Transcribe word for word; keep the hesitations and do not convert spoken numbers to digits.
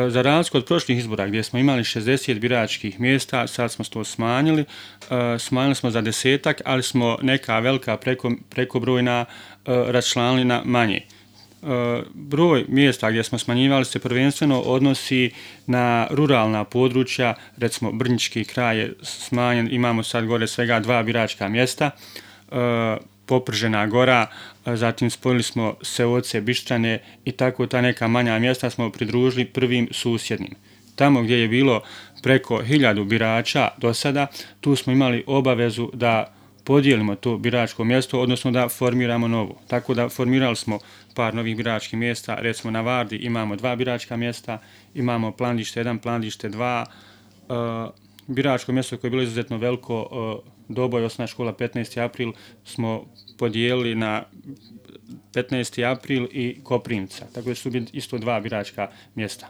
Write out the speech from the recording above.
Za razliku od prošlih izbora gdje smo imali šezdeset biračkih mjesta, sad smo to smanjili. Smanjili smo za desetak, ali smo neka velika preko, prekobrojna raščlanili na manje. Broj mjesta gdje smo smanjivali se prvenstveno odnosi na ruralna područja, recimo Brnjički kraj je smanjen, imamo sad gore svega dva biračka mjesta, Popržena gora, zatim spojili smo Seoce, Bištrane i tako ta neka manja mjesta smo pridružili prvim susjednim. Tamo gdje je bilo preko hiljadu birača do sada, tu smo imali obavezu da podijelimo to biračko mjesto, odnosno da formiramo novo. Tako da formirali smo par novih biračkih mjesta, recimo na Vardi imamo dva biračka mjesta, imamo Plandište jedan, Plandište dva, biračko mjesto koje je bilo izuzetno veliko, Doboj, osnovna škola petnaesti april, smo podijelili na petnaesti april i Koprivnica, tako da su isto dva biračka mjesta.